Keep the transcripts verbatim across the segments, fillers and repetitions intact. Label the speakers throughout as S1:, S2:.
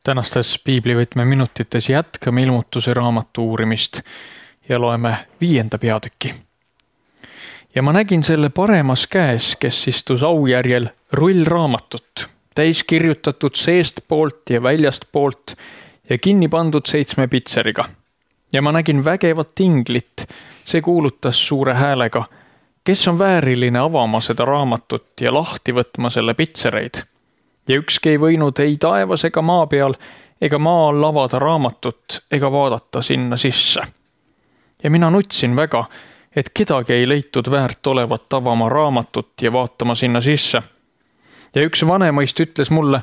S1: Tänastes piiblivõtme minutites jätkame ilmutuse raamatu uurimist ja loeme viienda peatüki. Ja ma nägin selle paremas käes, kes istus aujärjel rullraamatut, täis kirjutatud seest poolt ja väljast poolt ja kinni pandud seitsme pitseriga. Ja ma nägin vägevat inglit, see kuulutas suure häälega, kes on vääriline avama seda raamatut ja lahti võtma selle pitsereid. Ja ükski ei võinud ei taevas ega maa peal ega maa all avada raamatut ega vaadata sinna sisse. Ja mina nutsin väga, et kedagi ei leitud väärt olevat avama raamatut ja vaatama sinna sisse. Ja üks vanemaist ütles mulle,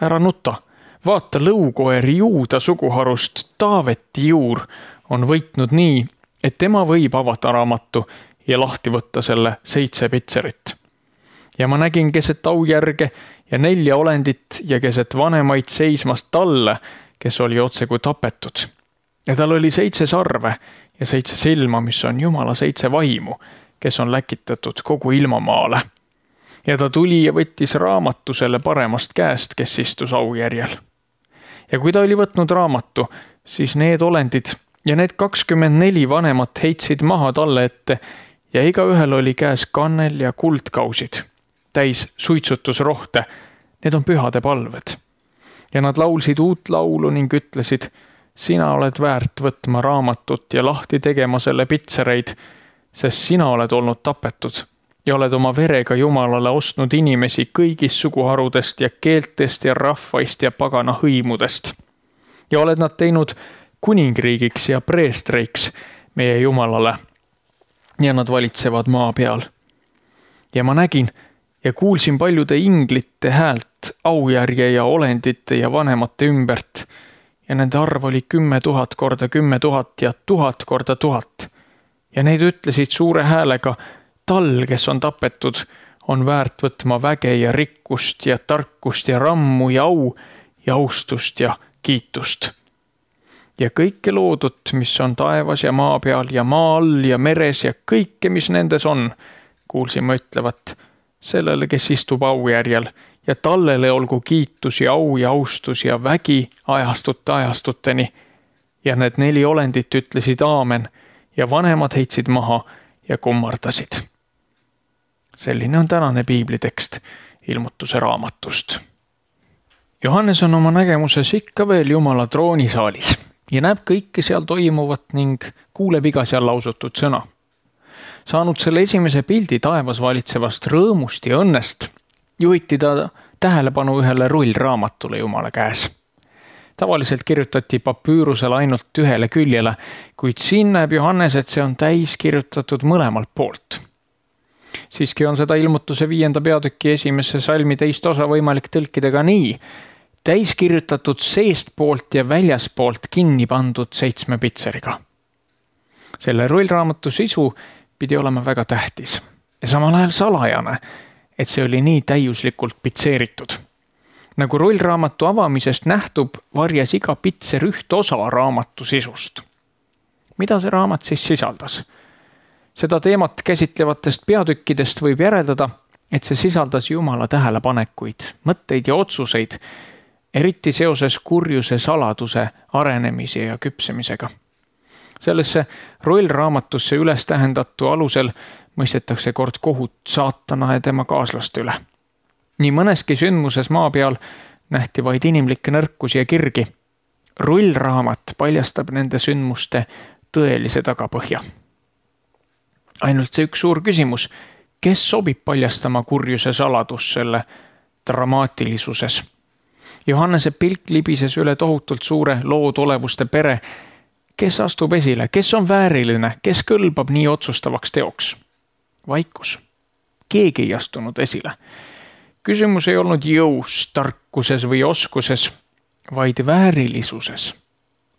S1: ära nuta, vaata lõukoer Juuda suguharust Taaveti juur on võitnud nii, et tema võib avada raamatu ja lahti võtta selle seitse pitserit. Ja ma nägin keset aujärge ja nelja olendit ja keset vanemaid seismast talle, kes oli otse kui tapetud. Ja tal oli seitse sarve ja seitse silma, mis on Jumala seitse vaimu, kes on läkitatud kogu ilmamaale. Ja ta tuli ja võttis raamatu selle paremast käest, kes istus aujärjel. Ja kui ta oli võtnud raamatu, siis need olendid ja need kakskümmend neli vanemat heitsid maha talle ette ja igaühel oli käes kannel ja kuldkausid, täis suitsutusrohte, need on pühade palved. Ja nad laulsid uut laulu ning ütlesid, sina oled väärt võtma raamatut ja lahti tegema selle pitsereid, sest sina oled olnud tapetud ja oled oma verega Jumalale ostnud inimesi kõigist suguharudest ja keeltest ja rahvaist ja pagana hõimudest. Ja oled nad teinud kuningriigiks ja preestreiks meie Jumalale ja nad valitsevad maa peal. Ja ma nägin ja kuulsin paljude inglite häält aujärje ja olendite ja vanemate ümbert ja nende arv oli kümme tuhat korda kümme tuhat ja tuhat korda tuhat. Ja need ütlesid suure häälega, tal, kes on tapetud, on väärt võtma väge ja rikkust ja tarkust ja rammu ja au ja austust ja kiitust. Ja kõike loodut, mis on taevas ja maa peal ja maa all ja meres ja kõike, mis nendes on, kuulsin ma ütlevat, sellele, kes istub aujärjel ja tallele olgu kiitus ja au ja austus ja vägi ajastute ajastuteni. Ja need neli olendit ütlesid aamen ja vanemad heitsid maha ja kummardasid. Selline on tänane piiblitekst ilmutuse raamatust. Johannes on oma nägemuses ikka veel Jumala troonisaalis ja näeb kõike seal toimuvat ning kuuleb iga seal lausutud sõna. Saanud selle esimese pildi taevas valitsevast rõõmust ja õnnest, juhiti ta tähelepanu ühele rullraamatule Jumala käes. Tavaliselt kirjutati papüürusele ainult ühele küljele, kuid siin näeb Johannes, et see on täis kirjutatud mõlemalt poolt. Siiski on seda ilmutuse viienda peatüki esimesse salmi teist osa võimalik tõlkida ka nii, täis kirjutatud seest poolt ja väljas poolt kinni pandud seitsme pitseriga. Selle rullraamatu sisu pidi olema väga tähtis ja samal ajal salajane, et see oli nii täiuslikult pitseeritud. Nagu rullraamatu avamisest nähtub, varjas iga pitser üht osa raamatu sisust. Mida see raamat siis sisaldas? Seda teemat käsitlevatest peatükkidest võib järeldada, et see sisaldas Jumala tähelepanekuid, mõtteid ja otsuseid, eriti seoses kurjuse saladuse arenemise ja küpsemisega. Sellesse rullraamatusse üles tähendatu alusel mõistetakse kord kohut saatana ja tema kaaslaste üle. Nii mõneski sündmuses maa peal nähti vaid inimlikke nõrkusi ja kirgi. Rullraamat paljastab nende sündmuste tõelise tagapõhja. Ainult see üks suur küsimus, kes sobib paljastama kurjuse saladus selle dramaatilisuses? Johannese pilk libises üle tohutult suure loodolevuste pere. Kes astub esile, kes on vääriline, kes kõlbab nii otsustavaks teoks? Vaikus. Keegi ei astunud esile. Küsimus ei olnud jõus, tarkuses või oskuses, vaid väärilisuses.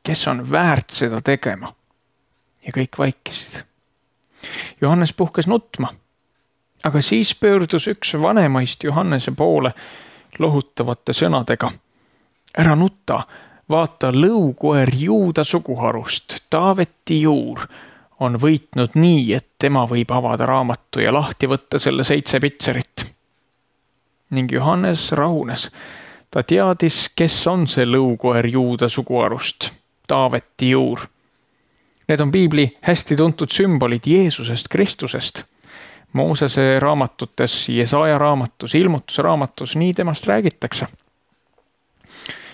S1: Kes on väärt seda tegema? Ja kõik vaikisid. Johannes puhkes nutma, aga siis pöördus üks vanemaist Johannese poole lohutavate sõnadega. Ära nutta, vaata lõukoer Juuda suguharust, Taaveti juur, on võitnud nii, et tema võib avada raamatu ja lahti võtta selle seitse pitserit. Ning Johannes rahunes. Ta teadis, kes on see lõukoer Juuda suguharust, Taaveti juur. Need on piibli hästi tuntud sümbolid Jeesusest, Kristusest. Moosese raamatutes, Jesaja raamatus, Ilmutuse raamatus, nii temast räägitakse.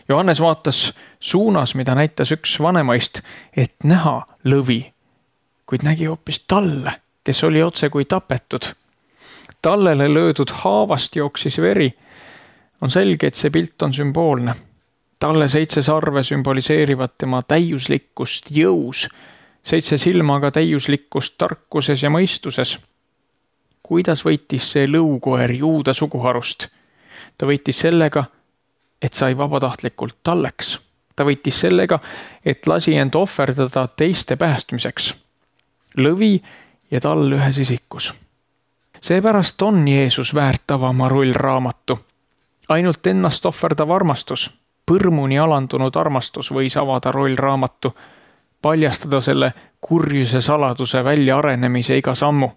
S1: Johannes vaatas suunas, mida näitas üks vanemaist, et näha lõvi, kuid nägi hoopis talle, kes oli otse kui tapetud. Tallele löödud haavast jooksis veri. On selge, et see pilt on sümboolne. Talle seitse sarve sümboliseerivad tema täiuslikkust jõus, seitse silmaga täiuslikkust tarkuses ja mõistuses. Kuidas võitis see lõukoer Juuda suguharust? Ta võitis sellega, et sai vabatahtlikult talleks. Ta võitis sellega, et lasi end ohverdada teiste päästmiseks. Lõvi ja tall ühes isikus. Seepärast on Jeesus väärt avama rullraamatu. Ainult ennast ohverdav armastus, põrmuni alandunud armastus võis avada rullraamatu, paljastada selle kurjuse saladuse välja arenemise iga sammu.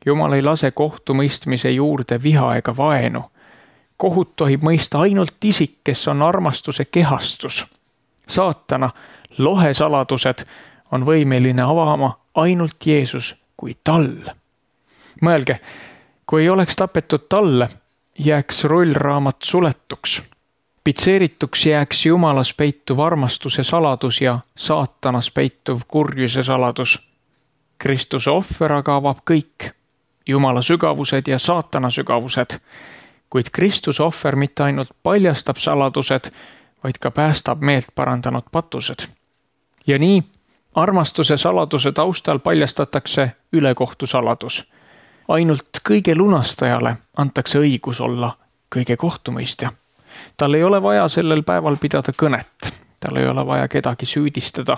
S1: Jumal ei lase kohtumõistmise juurde viha ega vaenu. Kohut tohib mõista ainult isik, kes on armastuse kehastus. Saatana lohesaladused on võimeline avama ainult Jeesus kui tall. Mõelge, kui ei oleks tapetud talle, jääks rullraamat suletuks. Pitseerituks jääks Jumalas peituv armastuse saladus ja saatanas peituv kurjuse saladus. Kristuse ohver aga avab kõik, Jumala sügavused ja saatana sügavused, kuid Kristuse ohver mitte ainult paljastab saladused, vaid ka päästab meelt parandanud patused. Ja nii armastuse saladuse taustal paljastatakse ülekohtu saladus. Ainult kõige lunastajale antakse õigus olla kõige kohtumõistja. Tal ei ole vaja sellel päeval pidada kõnet. Tal ei ole vaja kedagi süüdistada.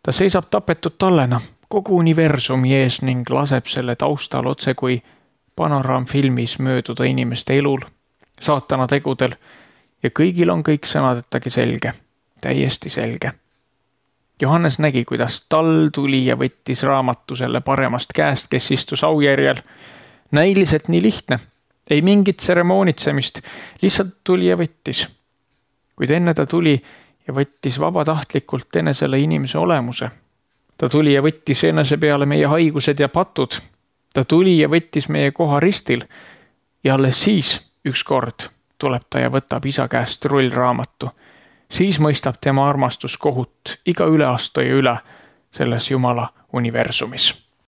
S1: Ta seisab tapetud tallena kogu universumi ees ning laseb selle taustal otse kui panoraamfilmis mööduda inimeste elul, saatana tegudel ja kõigil on kõik sõnadettagi selge, täiesti selge. Johannes nägi, kuidas tall tuli ja võttis raamatu selle paremast käest, kes istus aujärjel. Näiliselt nii lihtne, ei mingit tseremoonitsemist, lihtsalt tuli ja võttis. Kuid enne ta tuli ja võttis vabatahtlikult enesele inimese olemuse. Ta tuli ja võttis enese peale meie haigused ja patud. Ta tuli ja võttis meie koha ristil ja alles siis ükskord tuleb ta ja võtab isa käest rullraamatu. Siis mõistab tema armastus kohut iga üleastuja üle selles Jumala universumis.